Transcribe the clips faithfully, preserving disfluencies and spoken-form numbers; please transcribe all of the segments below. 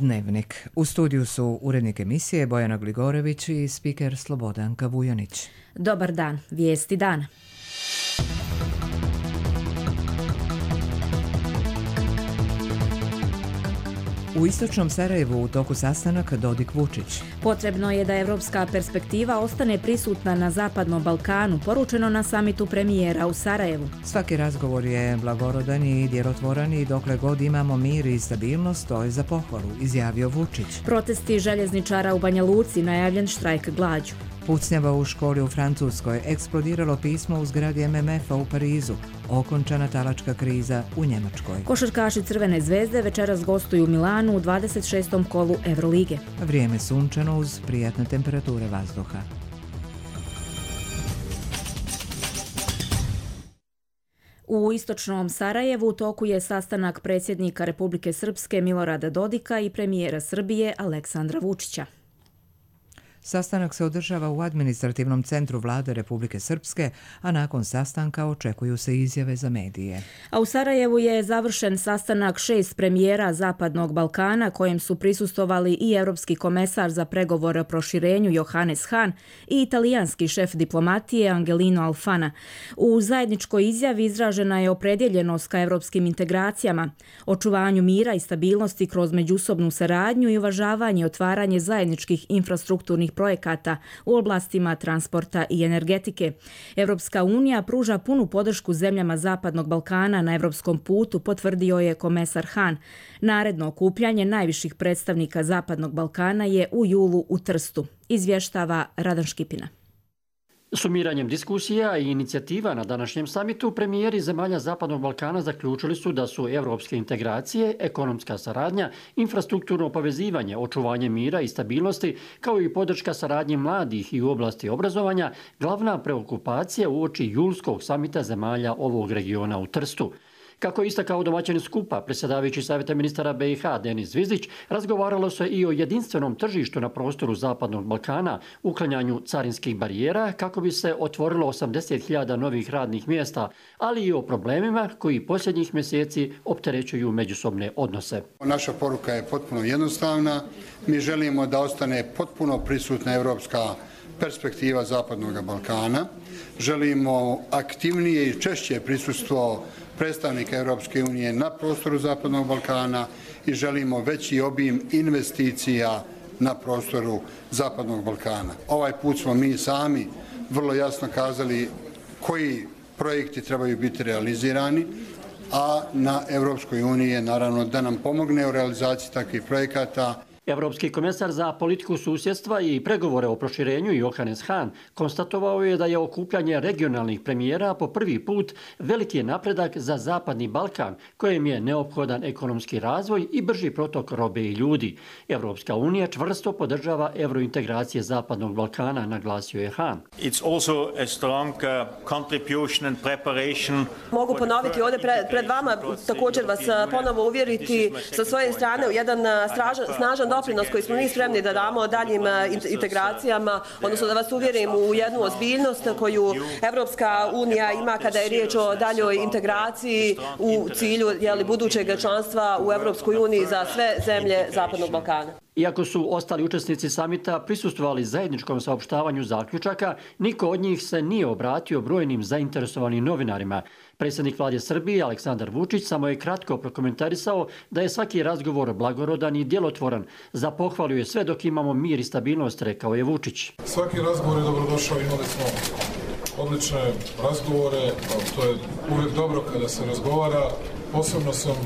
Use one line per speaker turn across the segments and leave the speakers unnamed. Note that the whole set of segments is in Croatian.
Dnevnik. U studiju su urednik emisije Bojana Gligorević i spiker Slobodanka Vujanić.
Dobar dan, vijesti dana.
U istočnom Sarajevu u toku sastanak Dodik-Vučić.
Potrebno je da evropska perspektiva ostane prisutna na Zapadnom Balkanu, poručeno na samitu premijera u Sarajevu.
Svaki razgovor je blagorodan i djelotvoran i dokle god imamo mir i stabilnost, to je za pohvalu, izjavio Vučić.
Protesti željezničara u Banja Luci, najavljen štrajk glađu.
Pucnjava u školi u Francuskoj, eksplodiralo pismo u zgradi M M F-a u Parizu, okončana talačka kriza u Njemačkoj.
Košarkaši Crvene zvezde večeras gostuju u Milanu u dvadeset šestom kolu Evrolige.
Vrijeme sunčano uz prijatne temperature vazduha.
U istočnom Sarajevu u toku je sastanak predsjednika Republike Srpske Milorada Dodika i premijera Srbije Aleksandra Vučića.
Sastanak se održava u administrativnom centru Vlade Republike Srpske, a nakon sastanka očekuju se izjave za medije.
A u Sarajevu je završen sastanak šest premijera Zapadnog Balkana, kojem su prisustvovali i europski komesar za pregovore o proširenju Johannes Hahn i italijanski šef diplomatije Angelino Alfano. U zajedničkoj izjavi izražena je opredjeljenost ka europskim integracijama, očuvanju mira i stabilnosti kroz međusobnu saradnju i uvažavanje i otvaranje zajedničkih infrastrukturnih projekata u oblastima transporta i energetike. Evropska unija pruža punu podršku zemljama Zapadnog Balkana na evropskom putu, potvrdio je komesar Hahn. Naredno okupljanje najviših predstavnika Zapadnog Balkana je u julu u Trstu, izvještava Radan Škipina.
Sumiranjem diskusija i inicijativa na današnjem samitu, premijeri zemalja Zapadnog Balkana zaključili su da su evropske integracije, ekonomska saradnja, infrastrukturno povezivanje, očuvanje mira i stabilnosti, kao i podrška saradnji mladih i u oblasti obrazovanja, glavna preokupacija uoči julskog samita zemalja ovog regiona u Trstu. Kako je istakao domaćin skupa, predsjedavajući Savjeta ministara B i H Denis Zvizdić, razgovaralo se i o jedinstvenom tržištu na prostoru Zapadnog Balkana, uklanjanju carinskih barijera kako bi se otvorilo osamdeset hiljada novih radnih mjesta, ali i o problemima koji posljednjih mjeseci opterećuju međusobne odnose.
Naša poruka je potpuno jednostavna. Mi želimo da ostane potpuno prisutna evropska perspektiva Zapadnog Balkana. Želimo aktivnije i češće prisustvo predstavnika Europske unije na prostoru Zapadnog Balkana i želimo veći obim investicija na prostoru Zapadnog Balkana. Ovaj put smo mi sami vrlo jasno kazali koji projekti trebaju biti realizirani, a na Europskoj uniji je naravno da nam pomogne u realizaciji takvih projekata.
Evropski komesar za politiku susjedstva i pregovore o proširenju Johannes Hahn konstatovao je da je okupljanje regionalnih premijera po prvi put veliki napredak za Zapadni Balkan, kojem je neophodan ekonomski razvoj i brži protok robe i ljudi. Evropska unija čvrsto podržava eurointegracije Zapadnog Balkana, naglasio je Hahn.
Mogu ponoviti ovdje pred, pred vama, također vas ponovo uvjeriti sa svoje strane u jedan stražan, snažan doprinos koji smo mi spremni da damo daljim integracijama, odnosno da vas uvjerim u jednu ozbiljnost koju Evropska unija ima kada je riječ o daljoj integraciji u cilju jeli, budućeg članstva u Evropskoj uniji za sve zemlje Zapadnog Balkana.
Iako su ostali učesnici samita prisustvovali zajedničkom saopštavanju zaključaka, niko od njih se nije obratio brojnim zainteresovanim novinarima. Predsjednik Vlade Srbije Aleksandar Vučić samo je kratko prokomentarisao da je svaki razgovor blagorodan i djelotvoran. Za pohvalu je sve dok imamo mir i stabilnost, rekao je Vučić.
Svaki razgovor je dobrodošao, imali smo odlične razgovore, to je uvijek dobro kada se razgovara. Posebno sam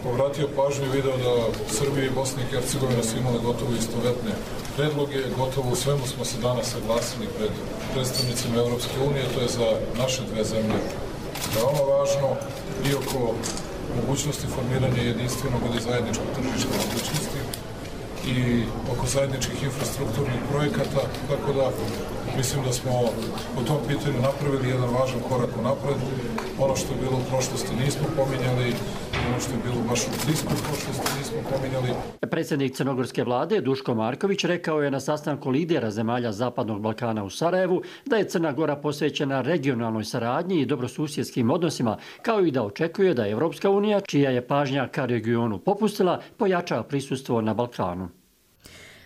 povratio pažnju i video da Srbija i Bosna i Hercegovina su imale gotovo istovetne predloge, gotovo u svemu smo se danas saglasili pred predstavnicima Evropske unije, to je za naše dve zemlje veoma važno i oko mogućnosti formiranja jedinstvenog ili zajedničkog tržišta mogućnosti i oko zajedničkih infrastrukturnih projekata, tako da mislim da smo u tom pitanju napravili jedan važan korak u napred. Ono što je bilo u prošlosti nismo pominjali ono što je bilo baš u bliskoj prošlosti nismo pominjali.
Predsjednik crnogorske vlade Duško Marković rekao je na sastanku lidera zemalja Zapadnog Balkana u Sarajevu da je Crna Gora posvećena regionalnoj saradnji i dobrosusjedskim odnosima, kao i da očekuje da Evropska unija, čija je pažnja ka regionu popustila, pojača prisustvo na Balkanu.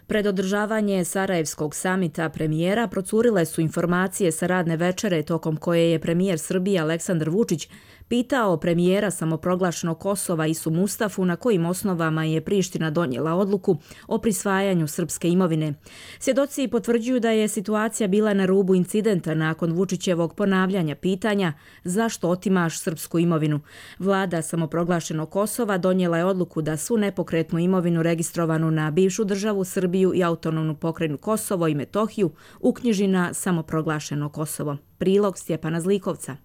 Pred održavanje Sarajevskog samita premijera procurile su informacije sa radne večere tokom koje je premijer Srbije Aleksandar Vučić pitao premijera samoproglašenog Kosova Isu Mustafu na kojim osnovama je Priština donijela odluku o prisvajanju srpske imovine. Svjedoci potvrđuju da je situacija bila na rubu incidenta nakon Vučićevog ponavljanja pitanja zašto otimaš srpsku imovinu. Vlada samoproglašenog Kosova donijela je odluku da svu nepokretnu imovinu registrovanu na bivšu državu Srbiju i autonomnu pokrajinu Kosovo i Metohiju uknjiži na samoproglašeno Kosovo. Prilog Stjepana Zlikovca.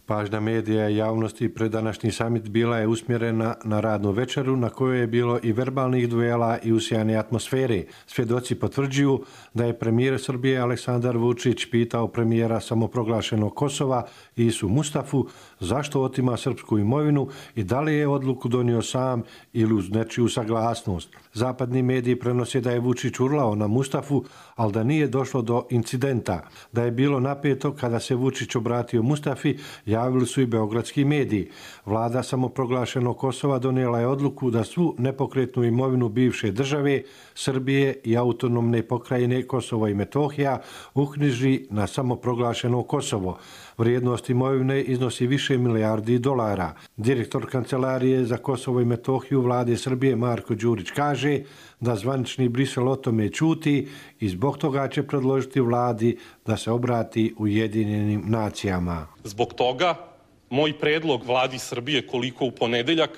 Pažnja medija i javnosti pred današnji samit bila je usmjerena na radnu večeru na kojoj je bilo i verbalnih duela i usijane atmosfere. Svjedoci potvrđuju da je premijer Srbije Aleksandar Vučić pitao premijera samoproglašenog Kosova Isu Mustafu zašto otima srpsku imovinu i da li je odluku donio sam ili uz nečiju saglasnost. Zapadni mediji prenose da je Vučić urlao na Mustafu, ali da nije došlo do incidenta. Da je bilo napeto kada se Vučić obratio Mustafi, javili su i beogradski mediji. Vlada samoproglašenog Kosova donijela je odluku da svu nepokretnu imovinu bivše države, Srbije i autonomne pokrajine Kosovo i Metohija uknjiži na samoproglašeno Kosovo. Vrijednost imovine iznosi više milijardi dolara. Direktor Kancelarije za Kosovo i Metohiju vlade Srbije Marko Đurić kaže da zvanični Brisel o tome ćuti i zbog toga će predložiti vladi da se obrati Ujedinjenim nacijama.
Zbog toga moj predlog vladi Srbije koliko u ponedeljak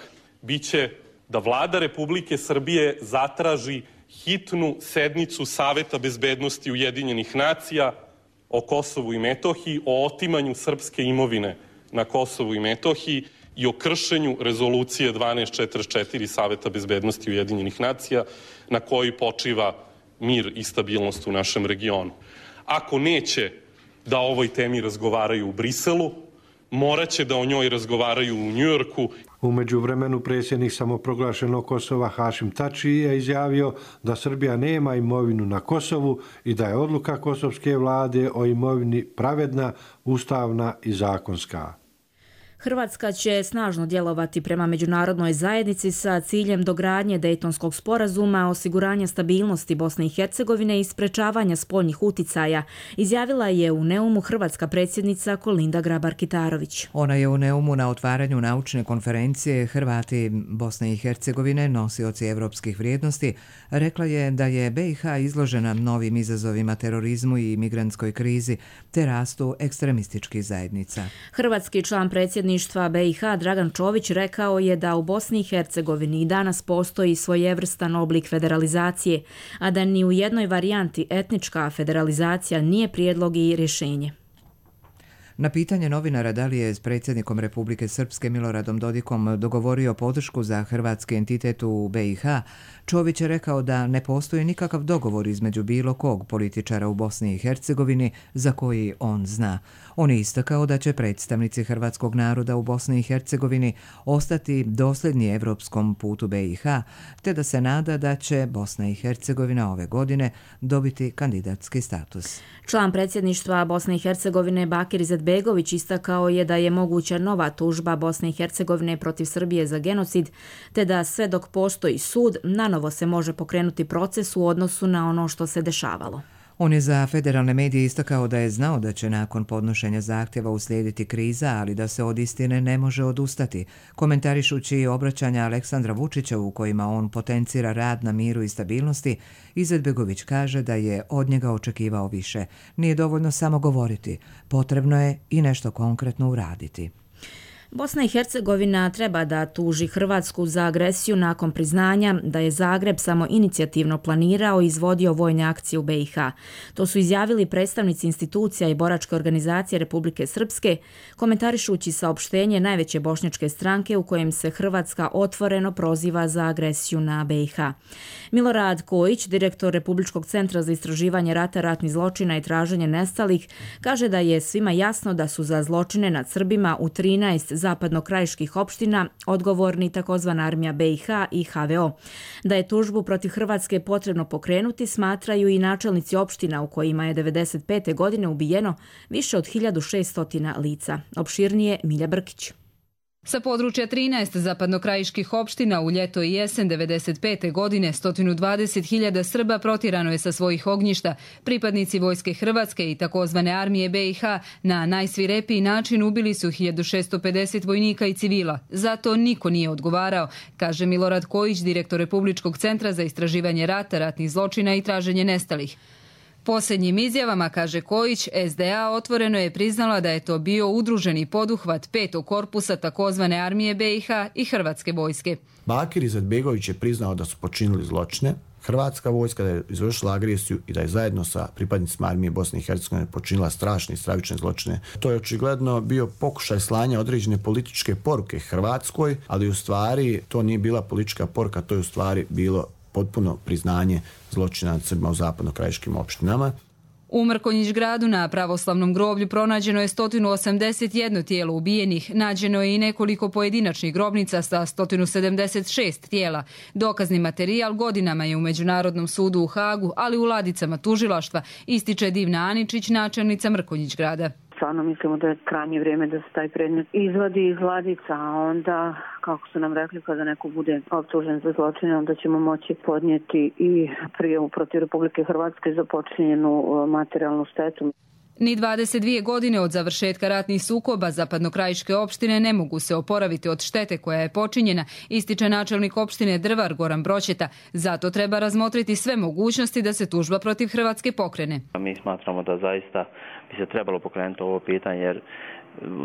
biće da vlada Republike Srbije zatraži hitnu sednicu Saveta bezbednosti Ujedinjenih nacija o Kosovu i Metohiji, o otimanju srpske imovine na Kosovu i Metohiji i o kršenju rezolucije dvanaest četrdeset četiri Saveta bezbednosti Ujedinjenih nacija na kojoj počiva mir i stabilnost u našem regionu. Ako neće da o ovoj temi razgovaraju u Briselu, morat će da o njoj razgovaraju u Njujorku.
U međuvremenu predsjednik samoproglašenog Kosova Hašim Tači je izjavio da Srbija nema imovinu na Kosovu i da je odluka kosovske vlade o imovini pravedna, ustavna i zakonska.
Hrvatska će snažno djelovati prema međunarodnoj zajednici sa ciljem dogradnje Dejtonskog sporazuma, osiguranja stabilnosti Bosne i Hercegovine i sprečavanja spoljnih uticaja, izjavila je u Neumu hrvatska predsjednica Kolinda Grabar-Kitarović.
Ona je u Neumu na otvaranju naučne konferencije Hrvati Bosne i Hercegovine, nosioci evropskih vrijednosti, rekla je da je B i H izložena novim izazovima terorizmu i migrantskoj krizi te rastu ekstremističkih zajednica.
Hrvatski član predsjedništva B i H Dragan Čović rekao je da u Bosni i Hercegovini i danas postoji svojevrstan oblik federalizacije, a da ni u jednoj varijanti etnička federalizacija nije prijedlog i rješenje.
Na pitanje novinara da li je s predsjednikom Republike Srpske Miloradom Dodikom dogovorio podršku za hrvatski entitet u B i H, Čović je rekao da ne postoji nikakav dogovor između bilo kog političara u Bosni i Hercegovini za koji on zna. On je istakao da će predstavnici hrvatskog naroda u Bosni i Hercegovini ostati dosljedni evropskom putu B i H, te da se nada da će Bosna i Hercegovina ove godine dobiti kandidatski status.
Član predsjedništva Bosne i Hercegovine Bakir Izetbegović istakao je da je moguća nova tužba Bosne i Hercegovine protiv Srbije za genocid, te da sve dok postoji sud, nanovo se može pokrenuti proces u odnosu na ono što se dešavalo.
On je za federalne medije istakao da je znao da će nakon podnošenja zahtjeva uslijediti kriza, ali da se od istine ne može odustati. Komentarišući obraćanja Aleksandra Vučića u kojima on potencira rad na miru i stabilnosti, Izetbegović kaže da je od njega očekivao više. Nije dovoljno samo govoriti, potrebno je i nešto konkretno uraditi.
Bosna i Hercegovina treba da tuži Hrvatsku za agresiju nakon priznanja da je Zagreb samo inicijativno planirao i izvodio vojne akcije u B i H. To su izjavili predstavnici institucija i boračke organizacije Republike Srpske, komentarišući saopštenje najveće bošnjačke stranke u kojem se Hrvatska otvoreno proziva za agresiju na B i H. Milorad Kojić, direktor Republičkog centra za istraživanje rata, ratnih zločina i traženje nestalih, kaže da je svima jasno da su za zločine nad Srbima u trinaest zapadnokrajiških opština odgovorni takozvana armija B i H i H V O. Da je tužbu protiv Hrvatske potrebno pokrenuti, smatraju i načelnici opština u kojima je devedeset pete godine ubijeno više od hiljadu šessto lica. Opširnije Milja Brkić.
Sa područja trinaest zapadnokrajiških opština u ljeto i jesen devedeset pete godine sto dvadeset hiljada Srba protjerano je sa svojih ognjišta. Pripadnici Vojske Hrvatske i takozvane armije B i H na najsvirepiji način ubili su hiljadu šessto pedeset vojnika i civila. Zato niko nije odgovarao, kaže Milorad Kojić, direktor Republičkog centra za istraživanje rata, ratnih zločina i traženje nestalih. Posljednjim izjavama, kaže Kojić, S D A otvoreno je priznala da je to bio udruženi poduhvat petog korpusa takozvane armije B i H i Hrvatske vojske.
Bakir Izetbegović je priznao da su počinili zločine, Hrvatska vojska da je izvršila agresiju i da je zajedno sa pripadnicima armije Bosne i Hercegovine počinila strašne i stravične zločine. To je očigledno bio pokušaj slanja određene političke poruke Hrvatskoj, ali u stvari to nije bila politička poruka, to je u stvari bilo potpuno priznanje zločina nad Srbima u zapadnokrajiškim opštinama.
U Mrkonjić gradu na pravoslavnom groblju pronađeno je sto osamdeset jedno tijelo ubijenih, nađeno je i nekoliko pojedinačnih grobnica sa sto sedamdeset šest tijela. Dokazni materijal godinama je u Međunarodnom sudu u Hagu, ali u ladicama tužilaštva, ističe Divna Aničić, načelnica Mrkonjić grada.
Stvarno mislimo da je krajnje vrijeme da se taj predmet izvadi iz ladica, a onda, kako su nam rekli, kada neko bude optužen za zločine, onda ćemo moći podnijeti i prijavu protiv Republike Hrvatske za počinjenu materijalnu štetu.
Ni dvadeset dvije godine od završetka ratnih sukoba zapadnokrajiške opštine ne mogu se oporaviti od štete koja je počinjena, ističe načelnik opštine Drvar Goran Broćeta. Zato treba razmotriti sve mogućnosti da se tužba protiv Hrvatske pokrene.
Mi smatramo da zaista bi se trebalo pokrenuti ovo pitanje, jer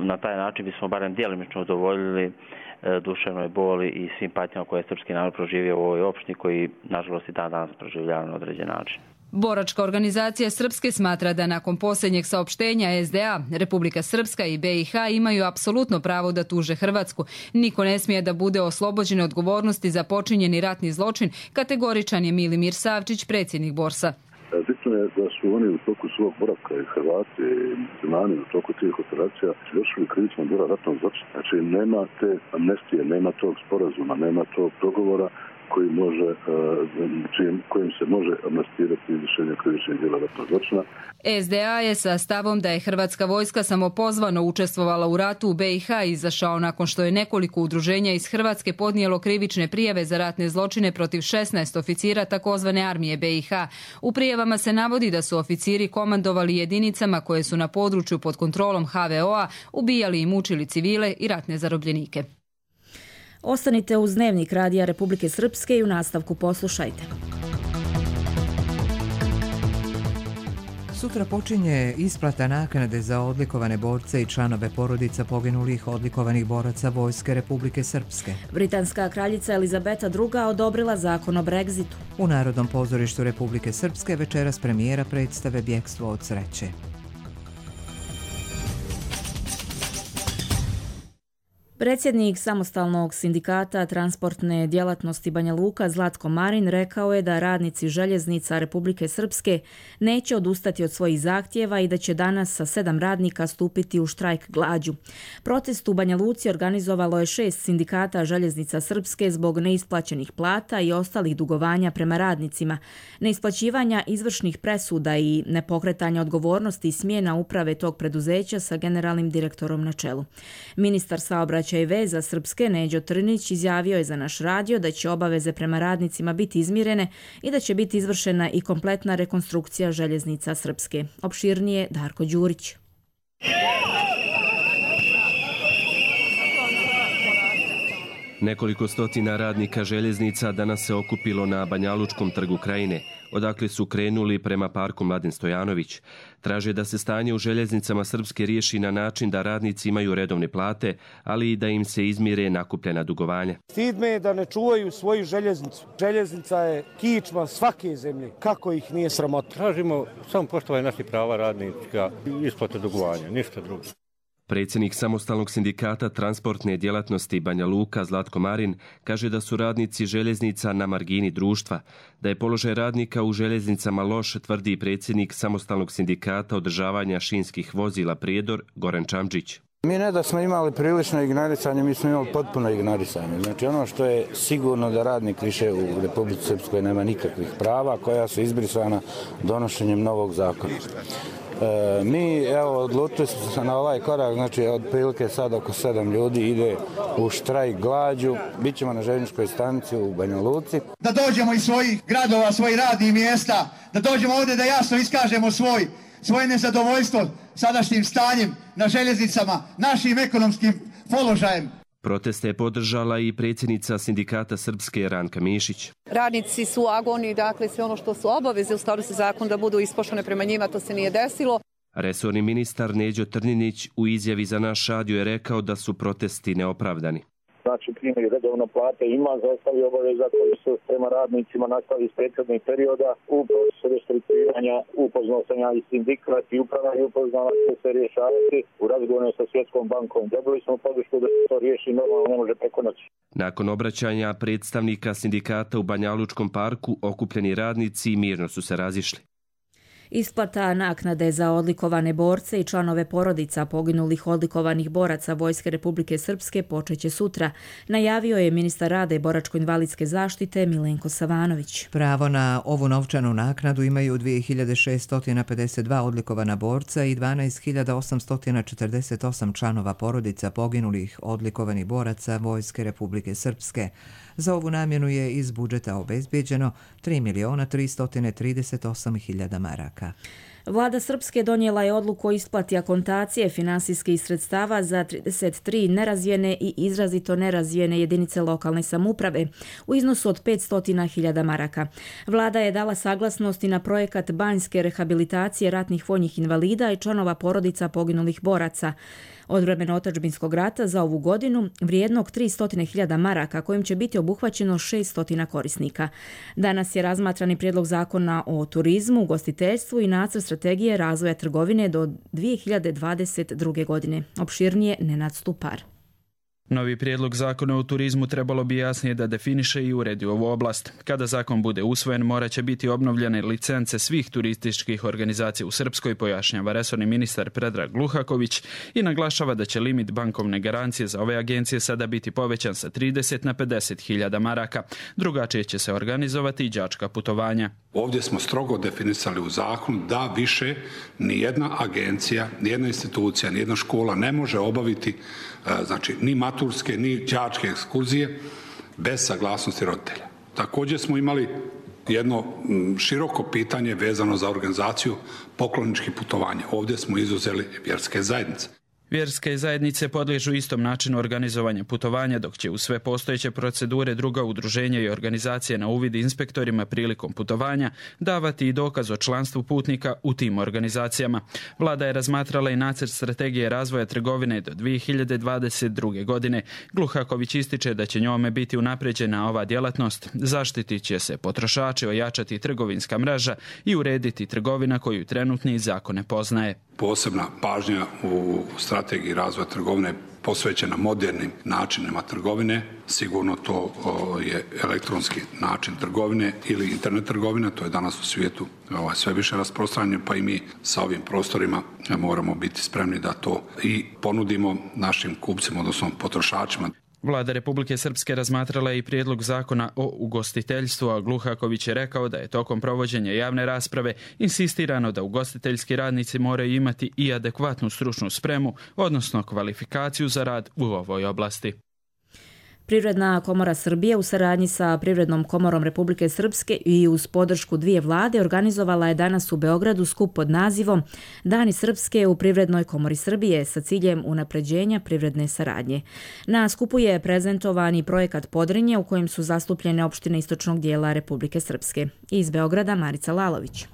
na taj način bismo barem djelomično udovoljili duševnoj boli i svim patnjama koje je srpski narod proživio u ovoj opštini, koji nažalost i dan danas proživljava na određen način.
Boračka organizacija Srpske smatra da nakon posljednjeg saopštenja S D A, Republika Srpska i B i H imaju apsolutno pravo da tuže Hrvatsku. Niko ne smije da bude oslobođen odgovornosti za počinjeni ratni zločin, kategoričan je Milimir Savčić, predsjednik Borsa.
Bitno je da su oni u toku svog boravka i Hrvati i muslimani u toku tih operacija izvršili krivično djelo ratnog zločina. Znači nema te amnestije, nema tog sporazuma, nema tog dogovora koji može, čim, kojim se može amnestirati izvršenje krivičnih djela ratnog zločina.
S D A je sa stavom da je Hrvatska vojska samopozvano učestvovala u ratu u B i H izašao nakon što je nekoliko udruženja iz Hrvatske podnijelo krivične prijave za ratne zločine protiv šesnaest oficira takozvane armije B i H. U prijavama se navodi da su oficiri komandovali jedinicama koje su na području pod kontrolom H V O-a ubijali i mučili civile i ratne zarobljenike.
Ostanite uz Dnevnik Radija Republike Srpske i u nastavku poslušajte.
Sutra počinje isplata naknade za odlikovane borce i članove porodica poginulih odlikovanih boraca Vojske Republike Srpske.
Britanska kraljica Elizabeta druga odobrila zakon o Brexitu.
U Narodnom pozorištu Republike Srpske večeras premijera predstave Bjekstvo od sreće.
Predsjednik samostalnog sindikata transportne djelatnosti Banja Luka Zlatko Marin rekao je da radnici željeznica Republike Srpske neće odustati od svojih zahtjeva i da će danas sa sedam radnika stupiti u štrajk glađu. Protest u Banja Luci organizovalo je šest sindikata željeznica Srpske zbog neisplaćenih plata i ostalih dugovanja prema radnicima, neisplaćivanja izvršnih presuda i nepokretanja odgovornosti i smjena uprave tog preduzeća sa generalnim direktorom na čelu. Ministar saobraćaja i veza Srpske Neđo Trnić izjavio je za naš radio da će obaveze prema radnicima biti izmirene i da će biti izvršena i kompletna rekonstrukcija željeznica Srpske. Opširnije Darko Đurić.
Nekoliko stotina radnika željeznica danas se okupilo na Banjalučkom trgu Krajine, odakle su krenuli prema parku Mladen Stojanović. Traže da se stanje u željeznicama Srpske riješi na način da radnici imaju redovne plate, ali i da im se izmire nakupljena dugovanja.
Stid me je da ne čuvaju svoju željeznicu. Željeznica je kičma svake zemlje. Kako ih nije sramota?
Tražimo samo poštovanje naših prava radnika i isplate dugovanja, ništa drugo.
Predsjednik samostalnog sindikata transportne djelatnosti Banja Luka Zlatko Marin kaže da su radnici željeznica na margini društva, da je položaj radnika u željeznicama loš, tvrdi predsjednik samostalnog sindikata održavanja šinskih vozila Prijedor Goran Čamđić.
Mi ne da smo imali prilično ignorisanje, mi smo imali potpuno ignorisanje. Znači ono što je sigurno da radnik više u Republici Srpskoj nema nikakvih prava koja su izbrisana donošenjem novog zakona. E, mi, evo, odlučili smo se na ovaj korak, znači otprilike sad oko sedam ljudi ide u štrajk glađu. Bićemo na željezničkoj stanici u Banja Luci.
Da dođemo iz svojih gradova, svojih radnih mjesta, da dođemo ovdje da jasno iskažemo svoj, svoje nezadovoljstvo sadašnjim stanjem na željeznicama, našim ekonomskim položajem.
Proteste je podržala i predsjednica sindikata Srpske Ranka Mišić.
Radnici su u agoniji, dakle sve ono što su obaveze u skladu sa zakonom da budu ispoštovane prema njima, to se nije desilo.
Resorni ministar Neđo Trninić u izjavi za naš radio je rekao da su protesti neopravdani.
Znači, primjer redovno plate ima, zastavi obaveza koji su prema radnicima nastali iz prethodnih perioda u procesu restrukturiranja. Upoznao sam ja i sindikat i uprava i upoznala će se rješavati u razgovoru sa Svjetskom bankom. Dobili smo podršku da se to riješi, normalno ne može preko noći.
Nakon obraćanja predstavnika sindikata u Banjalučkom parku, okupljeni radnici mirno su se razišli.
Isplata naknade za odlikovane borce i članove porodica poginulih odlikovanih boraca Vojske Republike Srpske počeće sutra, najavio je ministar rada i boračko-invalidske zaštite Milenko Savanović.
Pravo na ovu novčanu naknadu imaju dvije hiljade šeststo pedeset dva odlikovana borca i dvanaest hiljada osamsto četrdeset osam članova porodica poginulih odlikovanih boraca Vojske Republike Srpske. Za ovu namjenu je iz budžeta obezbijeđeno tri miliona tristo trideset osam hiljada maraka.
Vlada Srpske donijela je odluku o isplati akontacije finansijskih sredstava za trideset tri nerazvijene i izrazito nerazvijene jedinice lokalne samouprave u iznosu od petsto hiljada maraka. Vlada je dala saglasnost i na projekat banjske rehabilitacije ratnih vojnih invalida i članova porodica poginulih boraca od vremena otadžbinskog rata za ovu godinu vrijednog tristo hiljada maraka kojim će biti obuhvaćeno šeststo korisnika. Danas je razmatrani prijedlog zakona o turizmu, ugostiteljstvu i nacrt strategije razvoja trgovine do dvije hiljade dvadeset druge. godine. Opširnije Nenad Stupar.
Novi prijedlog zakona o turizmu trebalo bi jasnije da definiše i uredi ovu oblast. Kada zakon bude usvojen, morat će biti obnovljene licence svih turističkih organizacija u Srpskoj, pojašnjava resorni ministar Predrag Gluhaković i naglašava da će limit bankovne garancije za ove agencije sada biti povećan sa trideset na pedeset hiljada maraka. Drugačije će se organizovati i đačka putovanja.
Ovdje smo strogo definisali u zakonu da više nijedna agencija, nijedna institucija, nijedna škola ne može obaviti znači ni maturske ni đačke ekskurzije bez saglasnosti roditelja. Također smo imali jedno široko pitanje vezano za organizaciju pokloničkih putovanja. Ovdje smo izuzeli vjerske zajednice.
Vjerske zajednice podliježu istom načinu organizovanja putovanja, dok će u sve postojeće procedure druga udruženja i organizacije na uvid inspektorima prilikom putovanja davati i dokaz o članstvu putnika u tim organizacijama. Vlada je razmatrala i nacrt strategije razvoja trgovine do dvije hiljade dvadeset druge. godine. Gluhaković ističe da će njome biti unapređena ova djelatnost, zaštitit će se potrošači, ojačati trgovinska mreža i urediti trgovina koju trenutni zakon ne poznaje.
Posebna pažnja u strategiji razvoja trgovine posvećena modernim načinima trgovine. Sigurno to je elektronski način trgovine ili internet trgovina, to je danas u svijetu sve više rasprostranjeno, pa i mi sa ovim prostorima moramo biti spremni da to i ponudimo našim kupcima, odnosno potrošačima.
Vlada Republike Srpske razmatrala je i prijedlog zakona o ugostiteljstvu, a Gluhaković je rekao da je tokom provođenja javne rasprave insistirano da ugostiteljski radnici moraju imati i adekvatnu stručnu spremu, odnosno kvalifikaciju za rad u ovoj oblasti.
Privredna komora Srbije u saradnji sa Privrednom komorom Republike Srpske i uz podršku dvije vlade organizovala je danas u Beogradu skup pod nazivom Dani Srpske u Privrednoj komori Srbije sa ciljem unapređenja privredne saradnje. Na skupu je prezentovan i projekat Podrinje u kojem su zastupljene opštine istočnog dijela Republike Srpske. Iz Beograda Marica Lalović.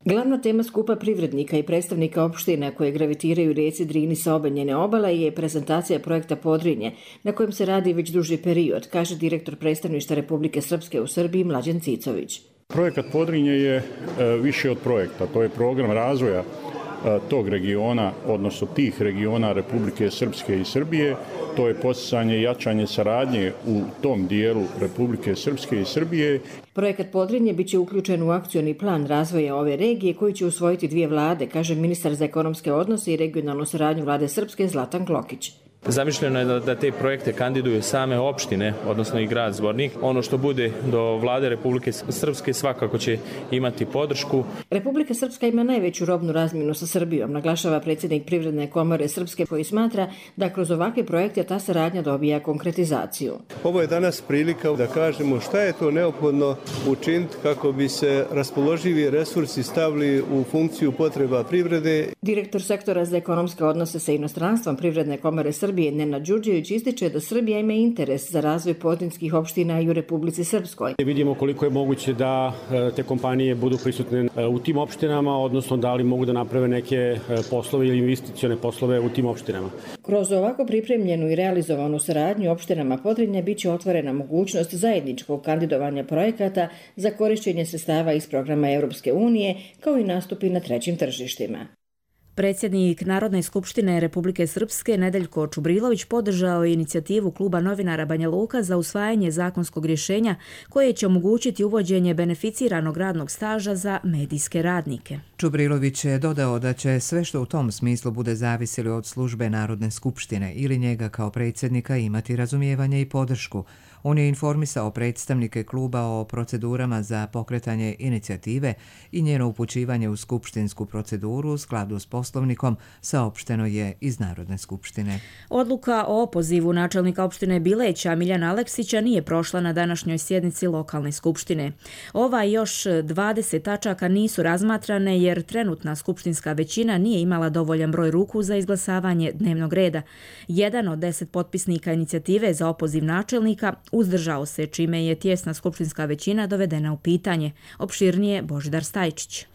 Glavna tema skupa privrednika i predstavnika opština koje gravitiraju rijeci Drini sa obe njene obale je prezentacija projekta Podrinje, na kojem se radi već duži period, kaže direktor predstavništva Republike Srpske u Srbiji Mlađan Cicović.
Projekat Podrinje je više od projekta, to je program razvoja
tog regiona, odnosno tih regiona Republike Srpske i Srbije. To je podsticanje i jačanje saradnje u tom dijelu Republike Srpske i Srbije.
Projekat Podrinje biće uključen u akcioni plan razvoja ove regije koji će usvojiti dvije vlade, kaže ministar za ekonomske odnose i regionalnu saradnju vlade Srpske Zlatan Klokić.
Zamišljeno je da, da te projekte kandiduju same opštine, odnosno i grad Zvornik. Ono što bude do vlade Republike Srpske svakako će imati podršku.
Republika Srpska ima najveću robnu razmjenu sa Srbijom, naglašava predsjednik Privredne komore Srpske, koji smatra da kroz ovakve projekte ta saradnja dobija konkretizaciju.
Ovo je danas prilika da kažemo šta je to neophodno učiniti kako bi se raspoloživi resursi stavili u funkciju potreba privrede.
Direktor sektora za ekonomske odnose sa inostranstvom Privredne komore Srpske Srbije Nenad Đurđević ističe da Srbija ima interes za razvoj podrinskih opština i u Republici Srpskoj.
Vidimo koliko je moguće da te kompanije budu prisutne u tim opštinama, odnosno da li mogu da naprave neke poslove ili investicione poslove u tim opštinama.
Kroz ovako pripremljenu i realizovanu saradnju opštinama Podrinja biće otvorena mogućnost zajedničkog kandidovanja projekata za korišćenje sredstava iz programa Europske unije, kao i nastupi na trećim tržištima.
Predsjednik Narodne skupštine Republike Srpske Nedeljko Čubrilović podržao je inicijativu Kluba novinara Banja Luka za usvajanje zakonskog rješenja koje će omogućiti uvođenje beneficiranog radnog staža za medijske radnike.
Čubrilović je dodao da će sve što u tom smislu bude zavisilo od službe Narodne skupštine ili njega kao predsjednika imati razumijevanje i podršku. On je informisao predstavnike kluba o procedurama za pokretanje inicijative i njeno upućivanje u skupštinsku proceduru u skladu s poslovnikom, saopšteno je iz Narodne skupštine.
Odluka o opozivu načelnika opštine Bileća Miljana Aleksića nije prošla na današnjoj sjednici lokalne skupštine. Ova i još dvadeset tačaka nisu razmatrane jer trenutna skupštinska većina nije imala dovoljan broj ruku za izglasavanje dnevnog reda. Jedan od deset potpisnika inicijative za opoziv načelnika uzdržao se, čime je tijesna skupštinska većina dovedena u pitanje. Opširnije Božidar Stajčić.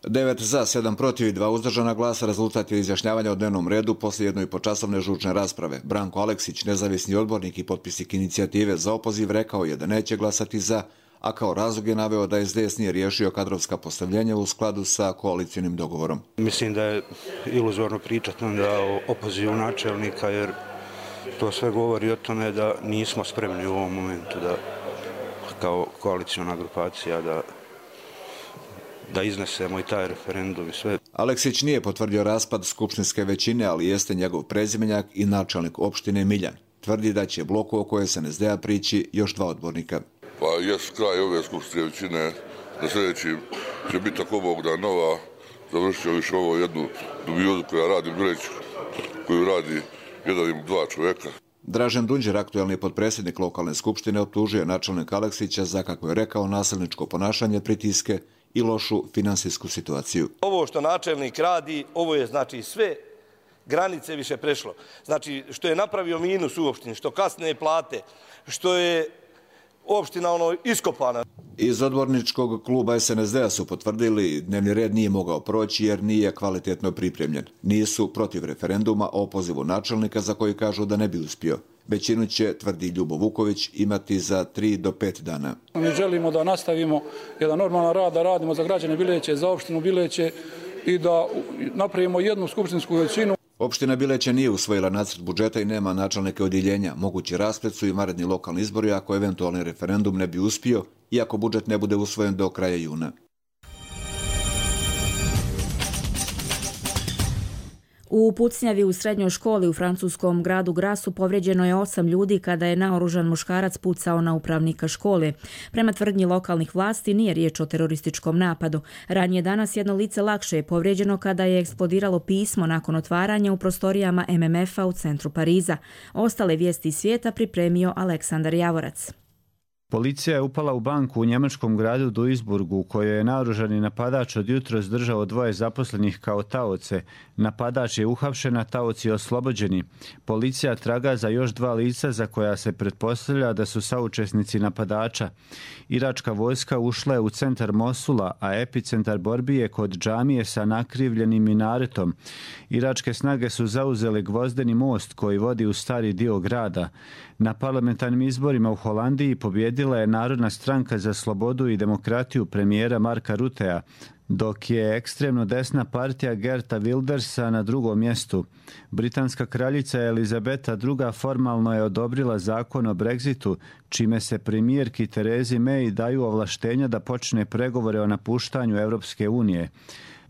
devet za, sedam protiv i dva uzdržana glasa rezultat je izjašnjavanja o dnevnom redu poslije jednoj počasovne žučne rasprave. Branko Aleksić, nezavisni odbornik i potpisnik inicijative za opoziv, rekao je da neće glasati za, a kao razlog je naveo da S D S nije riješio kadrovska postavljenja u skladu sa koalicijnim dogovorom.
Mislim da je iluzorno pričati onda o opozivu načelnika, jer to sve govori o tome da nismo spremni u ovom momentu da kao koalicijna grupacija da da iznesemo i taj referendum i sve.
Aleksić nije potvrdio raspad skupštinske većine, ali jeste njegov prezimenjak i načelnik opštine Miljan. Tvrdi da će bloku oko S N S D-a prići još dva odbornika.
Pa jes kraj ove skupštinske većine, na sljedeći će biti ako Bog da nova, završio više ovo jednu dubiozu koja radi u Bileću, koju radi jedan ili dva čovjeka.
Dražen Dunđer, aktuelni potpredsjednik lokalne skupštine, optužuje načelnika Aleksića za, kako je rekao, nasilničko ponašanje, pritiske i lošu finansijsku situaciju.
Ovo što načelnik radi, ovo je znači sve granice više prešlo. Znači što je napravio minus u opštini, što kasne plate, što je opština ono iskopana.
Iz odborničkog kluba S N S D-a su potvrdili dnevni red nije mogao proći jer nije kvalitetno pripremljen. Nisu protiv referenduma o opozivu načelnika za koji kažu da ne bi uspio. Većinu će, tvrdi Ljubo Vuković, imati za tri do pet dana.
Mi želimo da nastavimo jedan normalan rad, da radimo za građane Bileće, za opštinu Bileće i da napravimo jednu skupštinsku većinu.
Opština Bileće nije usvojila nacrt budžeta i nema načelnike odjeljenja. Mogući rasplet su i vanredni lokalni izbori ako eventualni referendum ne bi uspio i ako budžet ne bude usvojen do kraja juna.
U pucnjavi u srednjoj školi u francuskom gradu Grasu povrijeđeno je osam ljudi kada je naoružan muškarac pucao na upravnika škole. Prema tvrdnji lokalnih vlasti nije riječ o terorističkom napadu. Ranije danas jedno lice lakše je povrijeđeno kada je eksplodiralo pismo nakon otvaranja u prostorijama M M F-a u centru Pariza. Ostale vijesti iz svijeta pripremio Aleksandar Javorac.
Policija je upala u banku u njemačkom gradu Duisburgu u kojoj je naoružani napadač od jutros držao dvoje zaposlenih kao taoce. Napadač je uhapšen, a taoci oslobođeni. Policija traga za još dva lica za koja se pretpostavlja da su saučesnici napadača. Iračka vojska ušla je u centar Mosula, a epicentar borbi je kod džamije sa nakrivljenim minaretom. Iračke snage su zauzele gvozdeni most koji vodi u stari dio grada. Na parlamentarnim izborima u Holandiji pobjedili pobjedila je Narodna stranka za slobodu i demokratiju premijera Marka Rutea, dok je ekstremno desna partija Geerta Wildersa na drugom mjestu. Britanska kraljica Elizabeta druga formalno je odobrila zakon o Brexitu, čime se premijerki Terezi May daju ovlaštenja da počne pregovore o napuštanju Europske unije.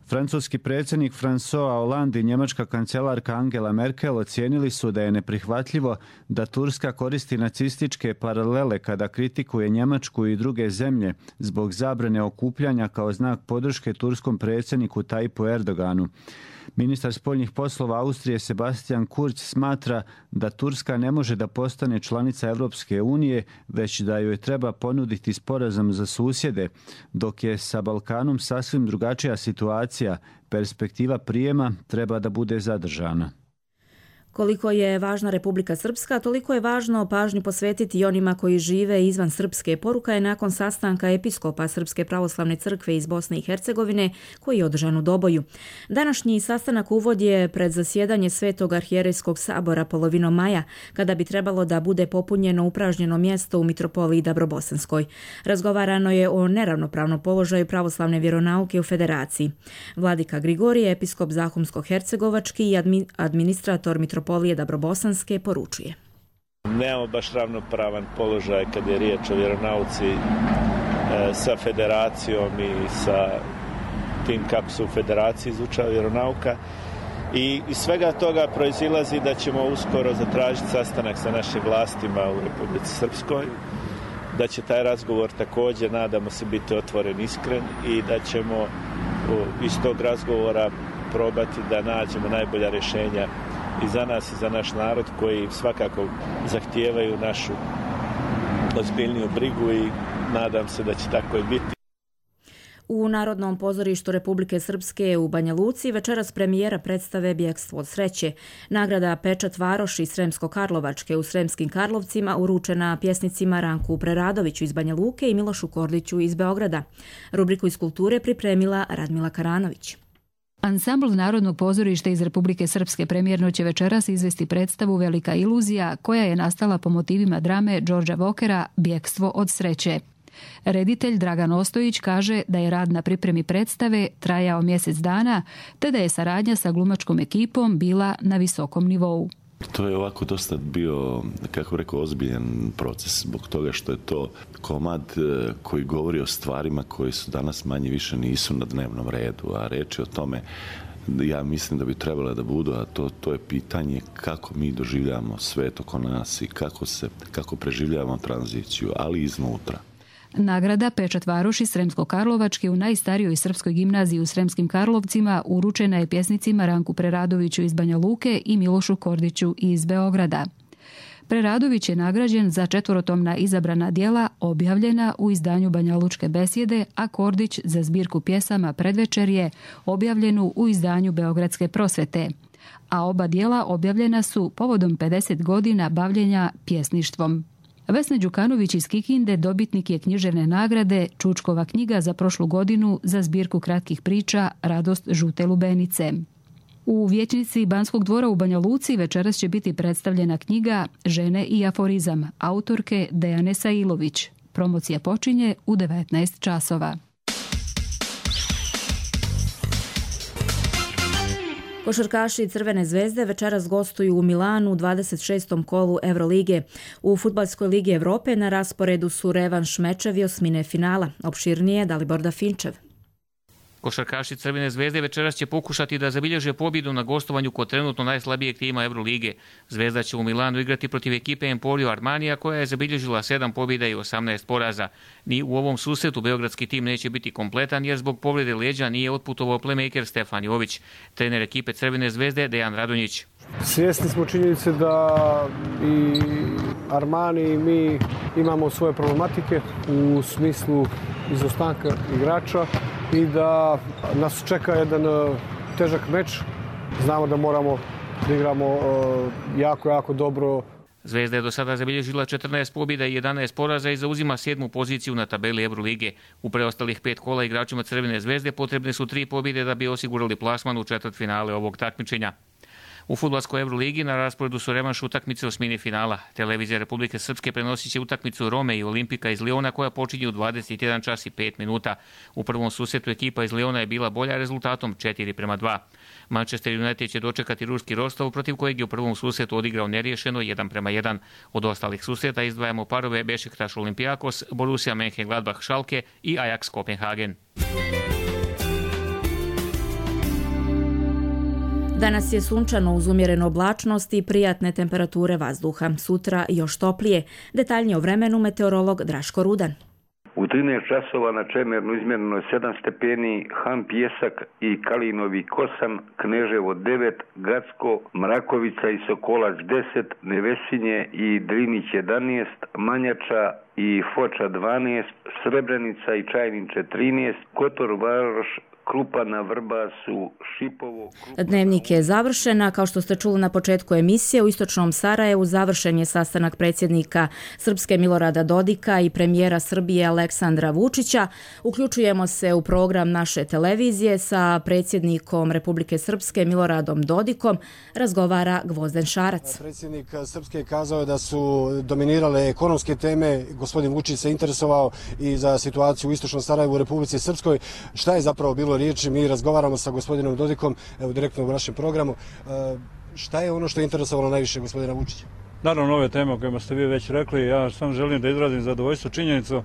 Francuski predsjednik François Hollande i njemačka kancelarka Angela Merkel ocijenili su da je neprihvatljivo da Turska koristi nacističke paralele kada kritikuje Njemačku i druge zemlje zbog zabrane okupljanja kao znak podrške turskom predsjedniku Tayyipu Erdoganu. Ministar spoljnih poslova Austrije Sebastian Kurz smatra da Turska ne može da postane članica Europske unije, već da joj treba ponuditi sporazum za susjede, dok je sa Balkanom sasvim drugačija situacija. Perspektiva prijema treba da bude zadržana.
Koliko je važna Republika Srpska, toliko je važno pažnju posvetiti i onima koji žive izvan Srpske. Poruka je nakon sastanka episkopa Srpske pravoslavne crkve iz Bosne i Hercegovine koji je održan u Doboju. Današnji sastanak uvod je pred zasjedanje Svetog arhijerejskog sabora polovinom maja, kada bi trebalo da bude popunjeno upražnjeno mjesto u mitropoliji Dabrobosanskoj. Razgovarano je o neravnopravnom položaju pravoslavne vjeronauke u Federaciji. Vladika Grigorije, episkop Zahumsko-hercegovački i admi- administrator mitropolije Mitropolije Dabrobosanske poručuje.
Nemamo baš ravnopravan položaj kad je riječ o vjeronauci e, sa federacijom i sa tim kako se u federaciji izučava vjeronauka. I iz svega toga proizilazi da ćemo uskoro zatražiti sastanak sa našim vlastima u Republici Srpskoj, da će taj razgovor također, nadamo se, biti otvoren, iskren i da ćemo iz tog razgovora probati da nađemo najbolja rješenja i za nas i za naš narod koji svakako zahtijevaju našu ozbiljniju brigu i nadam se da će tako i biti.
U Narodnom pozorištu Republike Srpske u Banja Luci večeras premijera predstave Bjekstvo od sreće. Nagrada Pečat Varoši Sremsko-Karlovačke u Sremskim Karlovcima uručena pjesnicima Ranku Preradoviću iz Banja Luke i Milošu Kordiću iz Beograda. Rubriku iz kulture pripremila Radmila Karanović.
Ansambl Narodnog pozorišta iz Republike Srpske premijerno će večeras izvesti predstavu Velika iluzija, koja je nastala po motivima drame Đorđa Vokera Bjekstvo od sreće. Reditelj Dragan Ostojić kaže da je rad na pripremi predstave trajao mjesec dana, te da je saradnja sa glumačkom ekipom bila na visokom nivou.
To je ovako dosta bio, kako rekao, ozbiljan proces, zbog toga što je to komad koji govori o stvarima koji su danas manje više nisu na dnevnom redu, a reč je o tome, ja mislim da bi trebalo da budu, a to, to je pitanje kako mi doživljavamo svet oko nas i kako, se, kako preživljavamo tranziciju, ali iznutra.
Nagrada Pečat Varoši Sremsko-Karlovačke u najstarijoj srpskoj gimnaziji u Sremskim Karlovcima uručena je pjesnicima Ranku Preradoviću iz Banja Luke i Milošu Kordiću iz Beograda. Preradović je nagrađen za četvorotomna izabrana djela objavljena u izdanju Banjalučke besjede, a Kordić za zbirku pjesama Predvečerje objavljenu u izdanju Beogradske prosvete. A oba djela objavljena su povodom pedeset godina bavljenja pjesništvom. Vesna Đukanović iz Kikinde dobitnik je književne nagrade Čučkova knjiga za prošlu godinu za zbirku kratkih priča Radost žute lubenice. U vijećnici Banskog dvora u Banja Luci večeras će biti predstavljena knjiga Žene i aforizam autorke Dejane Sailović. Promocija počinje u devetnaest časova.
Košarkaši Crvene zvezde večeras gostuju u Milanu u dvadeset šestom kolu Evrolige. U Fudbalskoj ligi Evrope na rasporedu su revanš mečevi osmine finala. Opširnije Dalibor Dafinčev.
Košarkaši Crvene zvezde večeras će pokušati da zabilježe pobjedu na gostovanju kod trenutno najslabijeg tima Evrolige. Zvezda će u Milanu igrati protiv ekipe Emporio Armanija koja je zabilježila sedam pobjeda i osamnaest poraza. Ni u ovom susretu beogradski tim neće biti kompletan jer zbog povrede leđa nije otputovao playmaker Stefan Jović. Trener ekipe Crvene zvezde Dejan Radonjić.
Svjesni smo činjenice da i Armani i mi imamo svoje problematike u smislu izostanka igrača i da nas čeka jedan težak meč. Znamo da moramo da igramo jako, jako dobro.
Zvezda je do sada zabilježila četrnaest pobjeda i jedanaest poraza i zauzima sedmu poziciju na tabeli Evrolige. U preostalih pet kola igračima Crvene zvezde potrebne su tri pobjede da bi osigurali plasman u četvrtfinale ovog takmičenja. U fudbalskoj Euroligi na rasporedu su revanš utakmice osmine finala. Televizija Republike Srpske prenosit će utakmicu Rome i Olimpika iz Liona koja počinje u dvadeset jedan čas i pet minuta. U prvom susretu ekipa iz Liona je bila bolja rezultatom četiri prema dva. Manchester United će dočekati ruski Rostov protiv kojeg je u prvom susretu odigrao neriješeno jedan prema jedan. Od ostalih susreta izdvajamo parove Bešiktaš Olimpijakos, Borussia Mönchengladbach Schalke i Ajax Kopenhagen.
Danas je sunčano uz umjerenu oblačnost i prijatne temperature vazduha. Sutra još toplije. Detaljnije o vremenu meteorolog Draško Rudan.
U trinaest časova na Čemernu izmjereno je sedam stepeni, Han Pjesak i Kalinovi osam, Kneževo devet, Gacko, Mrakovica i Sokolac deset, Nevesinje i Drinić jedanaest, Manjača i Foča dvanaest, Srebrenica i Čajniče trinaest, Kotor Varoš, Krupana, Vrbasu, Šipovo... Krupana...
Dnevnik je završen, a kao što ste čuli na početku emisije, u istočnom Sarajevu završen je sastanak predsjednika Srpske Milorada Dodika i premijera Srbije Aleksandra Vučića. Uključujemo se u program naše televizije sa predsjednikom Republike Srpske Miloradom Dodikom. Razgovara Gvozden Šarac.
Predsjednik Srpske je kazao da su dominirale ekonomske teme. Gospodin Vučić se interesovao i za situaciju u istočnom Sarajevu u Republici Srpskoj. Šta je zapravo bilo riječi? Mi razgovaramo sa gospodinom Dodikom, evo direktno u našem programu. Šta je ono što je interesovalo najviše gospodina Vučića?
Naravno, ove teme o kojima ste vi već rekli, ja sam želim da izrazim zadovoljstvo činjenicu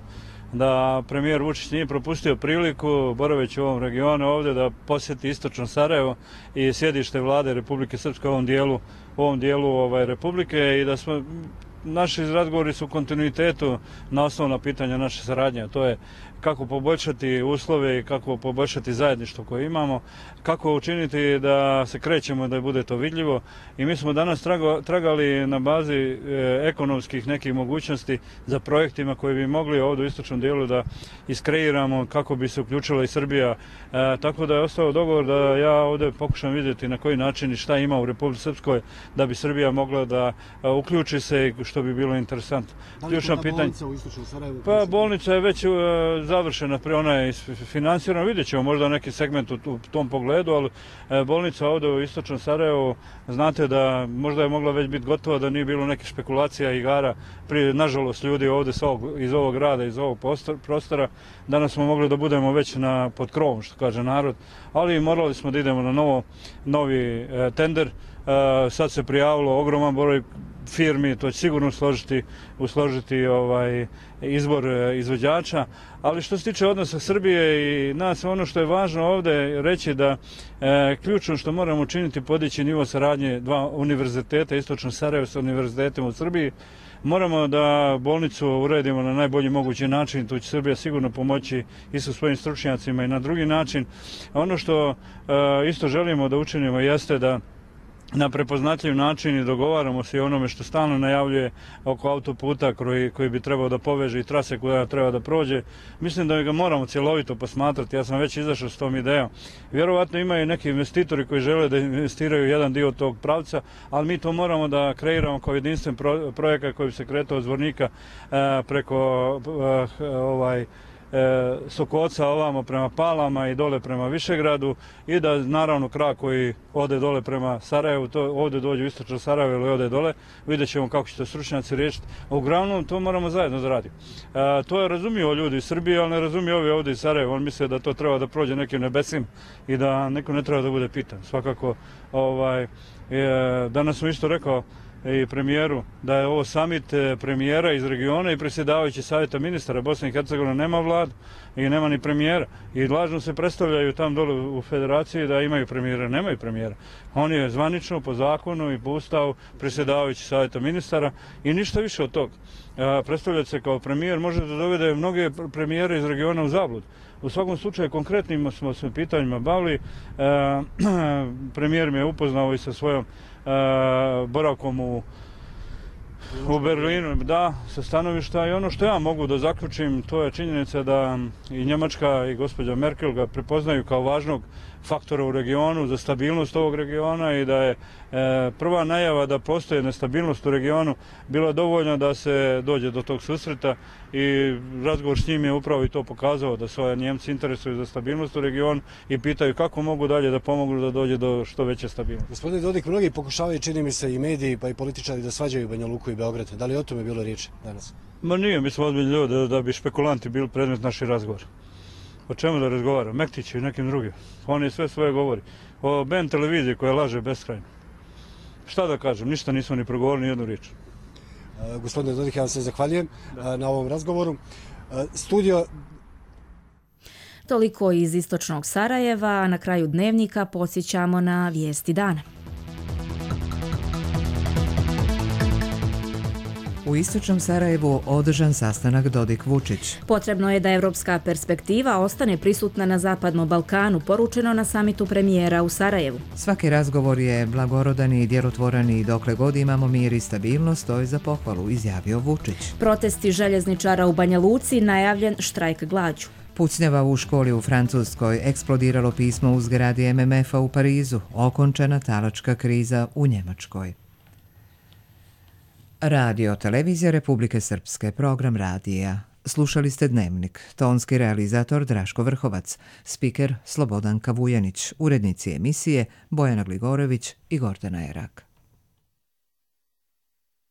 da premijer Vučić nije propustio priliku, boraveći u ovom regionu ovdje, da posjeti istočno Sarajevo i sjedište vlade Republike Srpske u ovom dijelu, u ovom dijelu ovaj, Republike i da smo naši razgovori su u kontinuitetu na osnovna pitanja naše saradnje. To je kako poboljšati uslove i kako poboljšati zajedništvo koje imamo, kako učiniti da se krećemo, da bude to vidljivo. I mi smo danas tragali na bazi e, ekonomskih nekih mogućnosti za projektima koje bi mogli ovdje u istočnom dijelu da iskreiramo kako bi se uključila i Srbija. E, tako da je ostao dogovor da ja ovdje pokušam vidjeti na koji način i šta ima u Republici Srpskoj da bi Srbija mogla da a, uključi se, što bi bilo interesantno.
Da li je to bolnica u istočnom Sarajevu?
Pa bolnica je već završena, ona je finansirana, vidjet ćemo možda neki segment u, u tom pogledu, ali e, bolnica ovdje u istočnom Sarajevu, znate da možda je mogla već biti gotova da nije bilo neke špekulacija i igara. Prije, nažalost, ljudi ovdje ovog, iz ovog grada, iz ovog prostora, danas smo mogli da budemo već na, pod krovom, što kaže narod, ali morali smo da idemo na novo, novi e, tender. E, sad se prijavilo ogroman broj firmi, to će sigurno usložiti, usložiti ovaj izbor izvođača, ali što se tiče odnosa Srbije i nas, ono što je važno ovdje reći da e, ključno što moramo učiniti podići nivo saradnje dva univerziteta, istočno Sarajevo sa univerzitetom u Srbiji. Moramo da bolnicu uredimo na najbolji mogući način, tu će Srbija sigurno pomoći i sa svojim stručnjacima i na drugi način. Ono što e, isto želimo da učinimo jeste da na prepoznatljiv način i dogovaramo se i onome što stalno najavljuje oko autoputa koji, koji bi trebao da poveže i trase koja treba da prođe. Mislim da ga moramo cjelovito posmatrati. Ja sam već izašao s tom idejom. Vjerovatno imaju neki investitori koji žele da investiraju jedan dio tog pravca, ali mi to moramo da kreiramo kao jedinstven pro, projekat koji bi se kretao od Zvornika e, preko e, ovaj E, Sokoca ovamo prema Palama i dole prema Višegradu i da naravno krak koji ode dole prema Sarajevu, to ovdje dođe u istočno Sarajevo ili ode dole, vidjet ćemo kako će to stručnjaci riješiti. Uglavnom to moramo zajedno da radimo. E, to je razumio ljudi iz Srbije, ali ne razumiju ovi ovdje iz Sarajeva. On misle da to treba da prođe nekim nebesim i da neko ne treba da bude pitan. Svakako, ovaj, e, danas sam isto rekao i premijeru da je ovo samit premijera iz regiona i predsjedavajući savjeta ministara. Bosna i Hercegovina nema vladu i nema ni premijera i lažno se predstavljaju tam dole u federaciji da imaju premijera. Nemaju premijera. On je zvanično po zakonu i po ustavu predsjedavajući savjeta ministara i ništa više od toga. Predstavljati se kao premijer može da dovede mnoge premijere iz regiona u zablud. U svakom slučaju konkretnim smo se pitanjima bavili. E, premijer mi je upoznao i sa svojom e, boravkom u, u Berlinu, da, sa stanovišta i ono što ja mogu da zaključim, to je činjenica da i Njemačka i gospođa Merkel ga prepoznaju kao važnog faktora u regionu za stabilnost ovog regiona i da je e, prva najava da postoje nestabilnost u regionu bila dovoljna da se dođe do tog susreta i razgovor s njim je upravo i to pokazao da svoje Njemci interesuju za stabilnost u regionu i pitaju kako mogu dalje da pomognu da dođe do što veće stabilnosti.
Gospodin Dodik, mnogi pokušavaju, čini mi se, i mediji pa i političari da svađaju Banja Luku i Beograd. Da li o tome bilo riječ danas?
Ma nije, mi smo ozbiljni ljudi da, da bi špekulanti bili predmet naših razgovora. O čemu da razgovara? Mektiću i nekim drugim. Oni sve svoje govori. O B N televiziji koja laže beskrajno. Šta da kažem, ništa nismo ni progovorili, ni jednu riječ.
Uh, gospodine Dodik, ja vam se zahvaljujem uh, na ovom razgovoru. Uh, studio...
Toliko iz istočnog Sarajeva, a na kraju dnevnika podsjećamo na vijesti dana.
U istočnom Sarajevu održan sastanak Dodik-Vučić.
Potrebno je da evropska perspektiva ostane prisutna na Zapadnom Balkanu, poručeno na samitu premijera u Sarajevu.
Svaki razgovor je blagorodan i djelotvoran i dokle god imamo mir i stabilnost, to je za pohvalu, izjavio Vučić.
Protesti željezničara u Banja Luci, najavljen štrajk glađu.
Pucnjava u školi u Francuskoj, eksplodiralo pismo u zgradi M M F-a u Parizu, okončana talačka kriza u Njemačkoj. Radio Televizija Republike Srpske, program radija. Slušali ste Dnevnik, tonski realizator Draško Vrhovac, spiker Slobodanka Vujanić, urednici emisije Bojana Gligorović i Gordana Erak.